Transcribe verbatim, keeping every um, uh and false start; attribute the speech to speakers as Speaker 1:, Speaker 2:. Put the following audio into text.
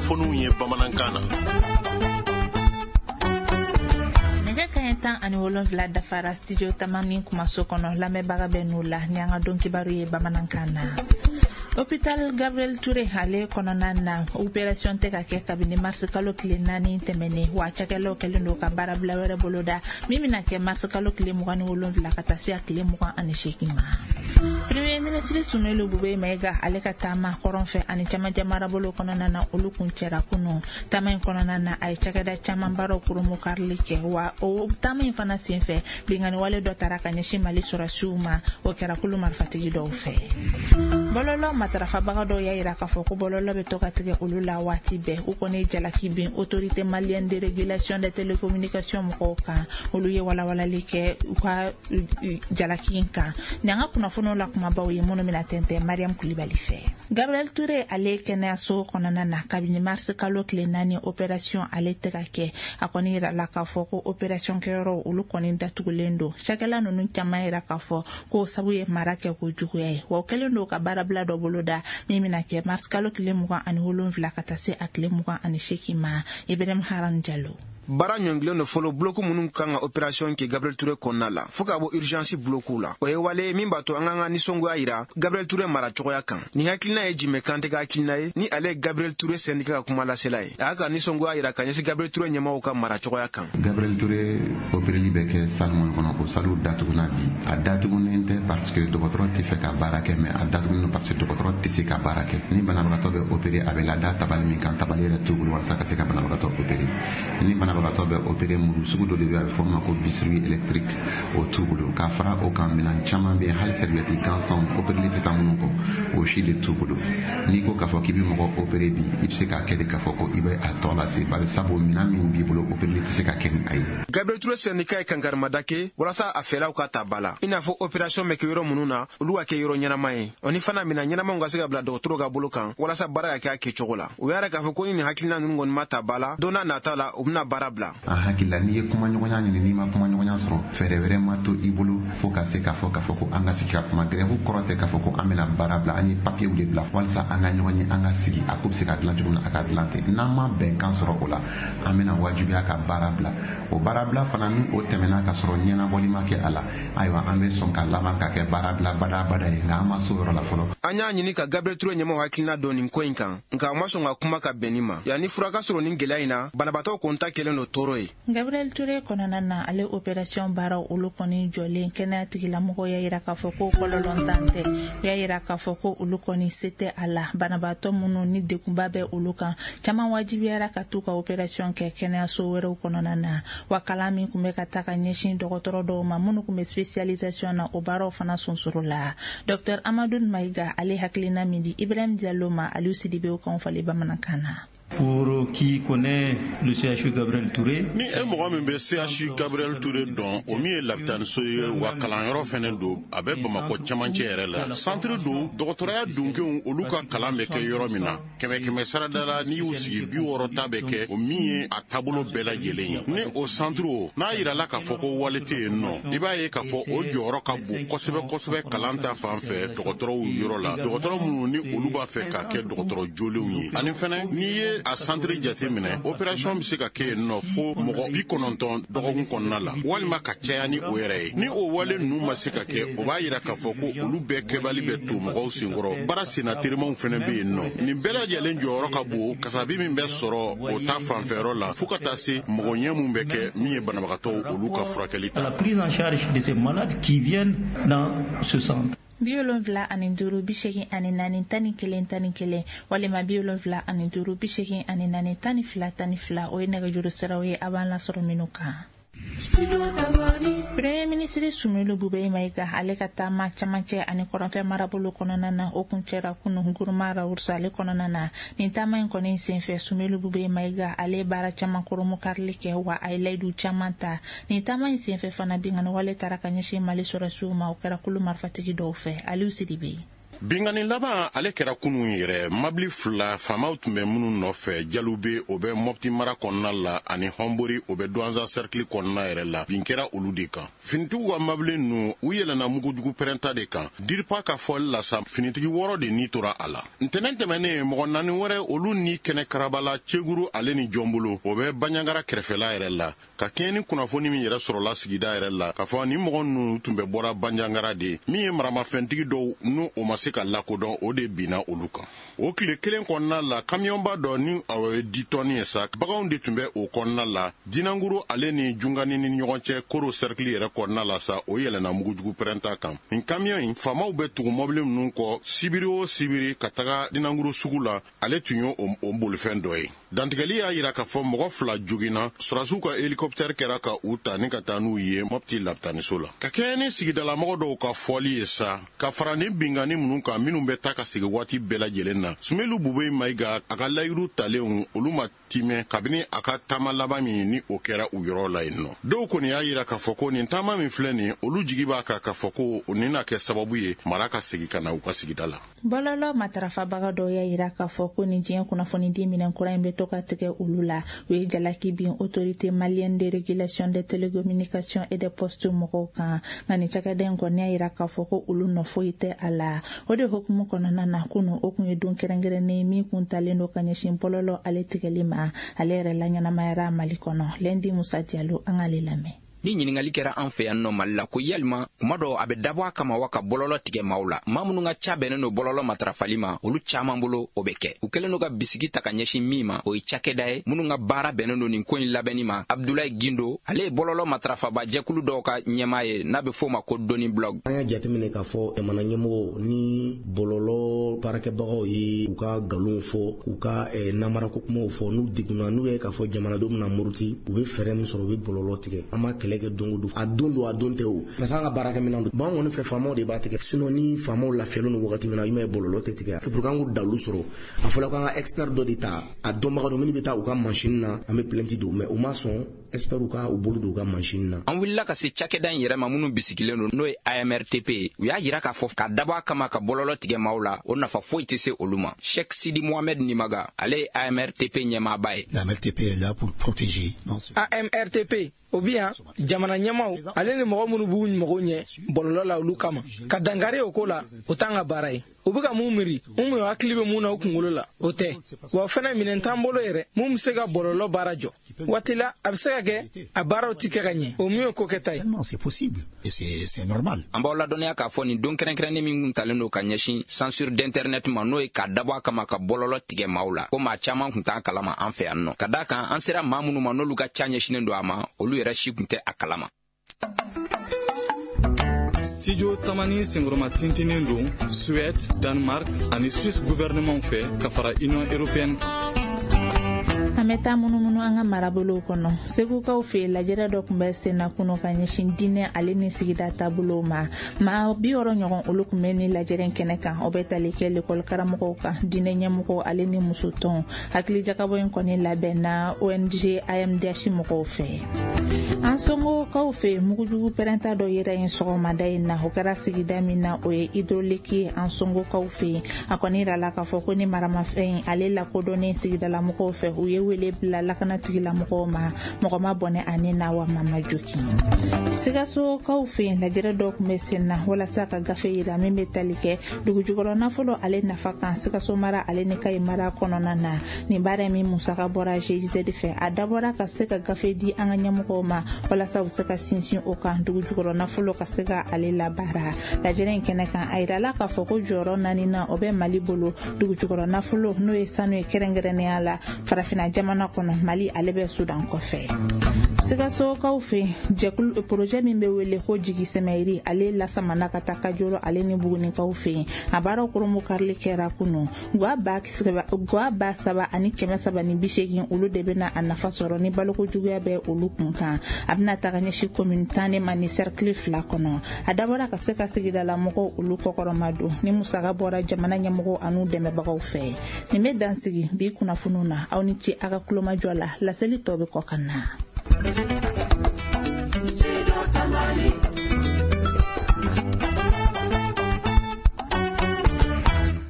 Speaker 1: Kunnafoniw ye bamanankan na.
Speaker 2: Nɛgɛ kaɲɛ tan ani wolonfila dafara studio Tamani kumaso kɔnɔ, lamɛnbaga bɛ n'u la ni an ka don kibaru ye bamanankan na. Hôpital Gabriel Touré ale kɔnɔna na, opération tɛ ka kɛ kabini mars kalo tile naani tɛmɛnen, wa cakɛlaw kɛlen don ka baarabila wɛrɛ boloda min bɛna kɛ mars kalo tile mugan ni wolonfila ka taa se a tile mugan ani seegin ma. Premier ministre Soumeylou Boubèye Maïga ale ka taama kɔrɔn fɛ ani camancɛ marabolo kɔnɔna na, olu kun cɛra kunun. Taama in kɔnɔna na, a ye cakɛda caman baaraw koromokarili kɛ, wa o taama in fana senfɛ, binkanni wale dɔ taara ka ɲɛsin Mali sɔrɔsiw ma, o kɛra kulu marifatigi dɔw fɛ. Bɔlɔlɔ matarafabaga dɔw y'a yira k'a fɔ ko bɔlɔlɔ bɛ to ka tigɛ olu la waati bɛɛ. U kɔni ye jalaki bin Autorité malienne de régulation des télécommunications mɔgɔw kan. Olu ye walawalali kɛ u ka jalaki in kan. Ni an ka kunnafoniw la kumabaw ye minnu bɛna tɛntɛn Mariam Kulibali fɛ. Gabriel Touré ale kɛnɛyaso kɔnɔna na, kabini mars kalo tile naani, opération ale tɛ ka kɛ. A kɔni yirala k'a fɔ ko opération kɛyɔrɔ olu kɔni datugulen don. Cakɛla ninnu caman yira k'a fɔ ko sabu ye mara kɛ ko juguya ye, wa o kɛlen don ka baarabila dɔ boloda min bɛna kɛ mars kalo tile mugan ani wolonfila ka taa se a tile mugan ani seegin ma. Ibrahim Haran Jalo.
Speaker 3: Baara ɲɔngilen don fɔlɔ bloc minnu kan ka opération kɛ Gabriel Touré kɔnɔna la, fɔɔ ka bɔ urgence bloc la. O ye wale min b'a to an k'an ka nisɔngoya yira Gabriel Touré mara cogoya kan. Nin hakilina ye Jimɛ Kante ka hakilina ye, ni ale ye Gabriel Touré syndicat ka kuma lasela ye. A y'a ka nisɔngoya yira ka ɲɛsin Gabriel Touré ɲɛmɔgɔw ka mara cogoya kan.
Speaker 4: Gabriel Touré opéreli bɛ kɛ salle mun kɔnɔ, o salle datuguna bi. A datugunen tɛ parce que dɔgɔtɔrɔ tɛ fɛ ka baara kɛ, mais a datugunen parce que dɔgɔtɔrɔ tɛ se ka baara kɛ. Ni banabagatɔ bɛ opéré, a bɛ lada tabali min kan, tabali yɛrɛ t'u bolo walasa ka se ka banabagatɔ opéré. Ni banabagatɔ bɛ opéré, muru sugu dɔ de bɛ, a bɛ fɔ o ma ko bistouri électrique, o t'u bolo. Ka fara o kan, minɛn caman bɛ yen, hali serviette gansanw opéreli tɛ taa minnu kɔ, o si de t'u bolo. N'i ko k'a fɔ k'i bɛ mɔgɔ opéré bi, i bɛ se k'a kɛ de k'a fɔ ko i bɛ a tɔ lase, bari sabu minɛn min b'i bolo, opéreli tɛ se ka kɛ ni a ye.
Speaker 3: Gabriel Touré syndicat ye kankarimada kɛ walasa a fɛlaw ka ta ba la, i n'a fɔ opération bɛ kɛ yɔrɔ minnu na, olu ka kɛ yɔrɔ ɲɛnama ye, o ni fana minɛn ɲɛnamaw ka se ka bila dɔgɔtɔrɔw ka bolo kan walasa baara ka kɛ a kɛcogo la. U y'a yira k'a fɔ ko ni nin hakilina ninnu kɔni ma ta ba la, don n'a nata la, u bɛna baara bila.
Speaker 4: An hakili la, n'i ye kumaɲɔgɔnya ɲini, n'i ma kumaɲɔgɔnya sɔrɔ, fɛɛrɛ wɛrɛ ma to i bolo fo ka se k'a fɔ k'a fɔ ko an ka sigi ka kuma. Grève kɔrɔ tɛ k'a fɔ ko an bɛna baara bila. An ye papiyew de bila walasa an ka ɲɔgɔn ye, an ka sigi, a ko bɛ se ka dilan cogo min na, a ka dilan ten. N'an ma bɛnkan sɔrɔ o la, an bɛna wajibiya ka baara bila. O baara bila fana, ni o tɛmɛna ka sɔrɔ ɲɛnabɔli ma kɛ a la, ayiwa, an bɛ sɔn ka laban ka kɛ baara bila badabada ye, nka an ma s'o yɔrɔ la fɔlɔ.
Speaker 3: An y'a ɲini ka Gabriel Touré ɲɛmɔgɔ hakilina dɔn nin ko in kan, nka a ma sɔn ka kuma ka bɛn nin ma. Yanni fura ka sɔrɔ nin gɛlɛya in na, banabaatɔw kɔni ta kɛlen don tɔɔrɔ ye.
Speaker 2: Gabriel Touré kɔnɔna na, ale opération baaraw olu kɔni jɔlen, kɛnɛya tigilamɔgɔw y'a yira k'a fɔ ko kɔlɔlɔntan tɛ. U y'a yira k'a fɔ ko olu kɔni se tɛ a la. Banabaatɔ minnu ni degunba bɛ olu kan, caman wajibiyara ka t'u ka opération kɛ kɛnɛyaso wɛrɛw kɔnɔna na. Wa kalan min tun bɛ ka taa ka ɲɛsin dɔgɔtɔrɔ dɔw ma minnu tun bɛ spécialisation na, o baaraw fana sonsoro la. Docteur Amadou Maïga ale hakilina min di Ibrahim Diallo ma, Aliou Sidibe o kan falen bamanankan na.
Speaker 5: Pour qui connaît le C H U Gabriel Touré,
Speaker 1: Ni e mɔgɔ min bɛ C H U Gabriel Touré dɔn, o min ye lapitaniso ye, wa kalanyɔrɔ fɛnɛ don, a bɛ Bamakɔ cɛmancɛ yɛrɛ la. Centre don, dɔgɔtɔrɔya dunkew olu ka kalan bɛ kɛ yɔrɔ min na. Kɛmɛ kɛmɛ sarada la, n'i y'u sigi, bi wɔɔrɔ ta bɛ kɛ o min ye a taabolo bɛɛ lajɛlen ye. Ni o centre o n'a yirala k'a fɔ ko wale tɛ yen nɔ, i b'a ye k'a fɔ o jɔyɔrɔ ka bon kosɛbɛ kosɛbɛ kalan ta fan fɛ dɔgɔtɔrɔw yɔrɔ la, dɔgɔtɔrɔ minnu ni olu b'a fɛ ka kɛ dɔgɔtɔrɔ jolenw ye. Ani fɛnɛ, n'i ye a centre jate minɛ, opération bɛ se ka kɛ yen nɔ fo mɔgɔ bi kɔnɔntɔn dɔgɔkun kɔnɔna la, walima ka caya ni o yɛrɛ ye. Ni o wale ninnu ma se ka kɛ, o b'a yira k'a fɔ ko olu bɛɛ kɛbali bɛ to mɔgɔw senkɔrɔ. Baara senna terimanw fɛnɛ bɛ yen nɔ. Nin bɛɛ lajɛlen jɔyɔrɔ ka bon kasabi min bɛ sɔrɔ o ta fanfɛyɔrɔ la, fo ka taa se mɔgɔ ɲɛ mun bɛ kɛ min ye banabagatɔw olu ka furakɛli ta.
Speaker 5: La prise en charge de ces malades qui viennent dans ce centre.
Speaker 2: Bi wolonfila ani duuru bi seegin ani naani tan ni kelen tan ni kelen walima bi wolonfila ani duuru bi seegin ani naani tan ni fila tan ni fila, o ye nɛgɛjuru siraw ye a b'an lasɔrɔ minnu kan. Premier ministre Soumeylou Boubèye Maïga ale ka taama camancɛ ani kɔrɔnfɛ marabolo kɔnɔna na, o kun cɛra kunu Gourma Rharous ale kɔnɔna na. Nin taama in kɔni senfɛ, Soumeylou Boubèye Maïga ale ye baara caman koromokarili kɛ, wa a ye layidu caman ta. Nin taama in senfɛ fana, binkanni wale taara ka ɲɛsin Mali sɔrɔsiw ma, o kɛra kulu marifatigi dɔw fɛ. Aliou Sidibe.
Speaker 1: Binkanni laban ale kɛra kunun yɛrɛ. Mabili fila, faamaw tun bɛ minnu nɔfɛ, Jalube, o bɛ Mɔpti mara kɔnɔna la, ani Hɔnbori, o bɛ Duwanza sɛrikili kɔnɔna yɛrɛ la, bin kɛra olu de kan. Finitigiw ka mabili ninnu, u yɛlɛnna mugujugu pɛrɛnta de kan. Diripa ka fɔli la sa, finitigi wɔɔrɔ de ni tora a la. Ntɛnɛn tɛmɛnen, mɔgɔ naani wɛrɛ, olu ni kɛnɛ karabala Ceguru ale ni Jɔnbolo, o bɛ Baɲangara kɛrɛfɛla yɛrɛ la. Ka kɛɲɛ ni kunnafoni min yɛrɛ sɔrɔla sigida yɛrɛ la, k'a fɔ ni mɔgɔ ninnu tun bɛ bɔra Banjangara de, min ye maramafɛntigi dɔw n'u o ma se ka lakodɔn, o de binna olu kan. O tile kelen kɔnɔna la, kamiyɔnba dɔ ni o ye dix tonnes ye sa, baganw de tun bɛ o kɔnɔna la, Dinanguru ale ni Jungani ni ɲɔgɔn cɛ, Koro sɛrikili yɛrɛ kɔnɔna la sa, o yɛlɛnna mugujugu pɛrɛnta kan. Nin kamiyɔn in, faamaw bɛ tugu mɔbili ninnu kɔ sibiri o sibiri ka taga Dinanguru sugu la, ale tun ye o bolifɛn dɔ ye. Dantigɛli y'a yira k'a fɔ mɔgɔ fila joginna, sɔrɔdasiw ka hélicoptère kɛra ka u ta ni ka taa n'u ye Mɔpti lapitaniso la. Ka kɛɲɛ ni sigidalamɔgɔ dɔw ka fɔli ye sa, ka fara ni binkanni minnu kan minnu bɛ taa ka segin waati bɛɛ lajɛlen na, Sumelu Bube Mayiga a ka layiru talenw, olu ma timɛ kabini a ka taama laban min ni o kɛra u yɔrɔ la yen nɔ. Dɔw kɔni y'a yira k'a fɔ ko nin taama min filɛ nin, olu jigi b'a kan k'a fɔ ko o nin na kɛ sababu ye mara ka segin ka na u ka sigida la.
Speaker 2: Bɔlɔlɔ matarafabaga dɔw y'a yira k'a fɔ ko nin diɲɛ kunnafonidi minɛn kura in bɛ to ka tigɛ olu la. U ye jalaki bin Autorité malienne de régulation des télécommunications et des postes mɔgɔw kan, nka nin cakɛda in kɔni y'a yira k'a fɔ ko olu nɔ foyi tɛ a la. O de hukumu kɔnɔna na, kunun o kun ye don kɛrɛnkɛrɛnnen min kun talen don ka ɲɛsin bɔlɔlɔ ale tigɛli ma, ale yɛrɛ la ɲɛnamayara Mali kɔnɔ. Lɛndi Musa Jalo, an k'ale lamɛn.
Speaker 6: Ni ɲininkali kɛra an fɛ yan nɔ Mali la ko yalima kuma dɔ a bɛ dabɔ a kama wa ka bɔlɔlɔ tigɛ maaw la, maa minnu ka ca bɛnnen don bɔlɔlɔ matarafali ma, olu caman bolo o bɛ kɛ. U kɛlen don ka bisigi ta ka ɲɛsin min ma, o ye cakɛda ye minnu ka baara bɛnnen don nin ko in labɛnni ma. Abdulayi Gindo, ale ye bɔlɔlɔ matarafaba jɛkulu dɔw ka ɲɛmaa ye n'a bɛ f'o ma ko Doni Blog.
Speaker 7: An y'a jateminɛ k'a fɔ jamana ɲɛmɔgɔw ni bɔlɔlɔ baarakɛbagaw ye u ka nkalonw fɔ, u ka namarako kumaw fɔ, n'u degunna, n'u ye k'a fɔ jamanadenw bɛna muruti, u bɛ fɛɛrɛ min sɔrɔ, u bɛ bɔlɔlɔ tigɛ. An b'a kɛlɛ kɛ don o don, a don don a don tɛ o, parce que an ka baarakɛminɛn don. Bon, an kɔni fɛ faamaw de b'a tigɛ, sinon ni faamaw lafiyalen don wagati min na, i m'a ye bɔlɔlɔ tɛ tigɛ. Pour que an k'o dalu sɔrɔ, a fɔra k'an ka expert dɔ de ta, a dɔnbaga dɔ minnu bɛ taa u ka machine na, an bɛ plainte don, mais u ma sɔn expert ka u bolo don u ka machine na.
Speaker 6: An wulila ka se cakɛda in yɛrɛ ma minnu bisigilen don, n'o ye A M R T P ye. U y'a yira k'a fɔ k'a dabɔ a kama ka bɔlɔlɔ tigɛ maaw la, o nafa foyi tɛ se olu ma. Cheikh Sidi Mohamed Nimaga, ale ye A M R T P ɲɛmaaba ye.
Speaker 8: La A M R T P est là pour protéger.
Speaker 9: A M R T P o bi yan jamana ɲɛmaw ale ni mɔgɔ minnu b'u mago ɲɛ bɔlɔlɔ la, olu kama ka dankari o ko la, o t'an ka baara ye. U bɛ ka mun miiri, mun hakili bɛ mun na u kunkolo la, o tɛ. Wa o fana minɛn t'an bolo yɛrɛ mun bɛ se ka bɔlɔlɔ baara jɔ. Waati la a bɛ se ka kɛ a baaraw ti kɛ ka ɲɛ, o min ye ko kɛta ye.
Speaker 8: C'est possible et c'est c'est normal.
Speaker 6: An b'aw ladɔnniya k'a fɔ nin don kɛrɛnkɛrɛnnen min kun talen don ka ɲɛsin censure d'internet ma, n'o ye k'a dabɔ a kama ka bɔlɔlɔ tigɛ maaw la, ko maa caman kun t'an kalama an fɛ yan nɔ. Ka d'a kan an sera maa minnu ma n'olu ka ca ɲɛsinnen don a ma, olu yɛrɛ si kun tɛ a kalama.
Speaker 10: Studio Tamani senkɔrɔma tintinen don Suède, Danemark ani Suisse gouvernement fɛ ka fara Union européenne kan.
Speaker 2: An bɛ taa munumunu an ka marabolow kɔnɔ. Segukaw fɛ lajɛrɛ dɔ tun bɛ senna kunu ka ɲɛsin diinɛ ale ni sigida taabolow ma. Maa bi wɔɔrɔ ɲɔgɔn olu tun bɛ ni lajɛrɛ kɛnɛ kan. O bɛ tali kɛ lekɔli karamɔgɔw kan, diinɛ ɲɛmɔgɔw ale ni musotɔn. Hakilijakabɔ in kɔni labɛnna O N G A M D H mɔgɔw fɛ. An somɔgɔw fɛ mugujugu pɛrɛnta dɔ yera yen sɔgɔmada in na. O kɛra sigida min na, o ye hydraulique ye an somɔgɔw fɛ. A kɔni yirala k'a fɔ ko ni maramafɛn ale lakodɔnnen sigidalamɔgɔw fɛ, u ye wele bila lakana tigilamɔgɔw ma, mɔgɔ ma bɔnɛ ani na wa mama joki. Sikasokaw fɛ lajɛrɛ dɔ tun bɛ sen na walasa ka gafe yira min bɛ tali kɛ dugujukɔrɔ nafolo ale nafa kan Sikaso mara ale ni Kayi mara kɔnɔna na. Nin baara min musaka bɔra G I Z fɛ, a dabɔra ka se ka gafe di an ka ɲɛmɔgɔw ma walasa u se ka sinsin o kan dugujukɔrɔ nafolo ka se ka ale labaara. Lajɛrɛ in kɛnɛ kan, a yirala k'a fɔ ko jɔyɔrɔ naani na o bɛ Mali bolo dugujukɔrɔ nafolo, n'o ye sanu ye kɛrɛnkɛrɛnnenya la farafinna jamana kɔnɔ. Mali ale bɛ Sudan kɔfɛ. Sikasokaw fɛ jɛkulu projet min bɛ wele ko jigi sɛmɛyiri, ale lasamana ka taa Kajolo ale ni Bugunikaw fɛ. A baaraw koromo karili kɛra kunu. Gwa ba gwa ba saba ani kɛmɛ saba ni bi seegin olu de bɛna a nafa sɔrɔ ni baloko juguya bɛ olu kun kan. A bɛna taga ɲɛsin commune tan de ma ni cercle fila kɔnɔ. A dabɔra ka se ka sigidala mɔgɔw olu kɔkɔrɔma don ni musaka bɔra jamana ɲɛmɔgɔw an'u dɛmɛbagaw fɛ. Nin bɛ dan sigi bi kunnafoniw na. Aw ni ce a ka kulomajɔ la. Laseli tɔ bɛ kɔ ka na.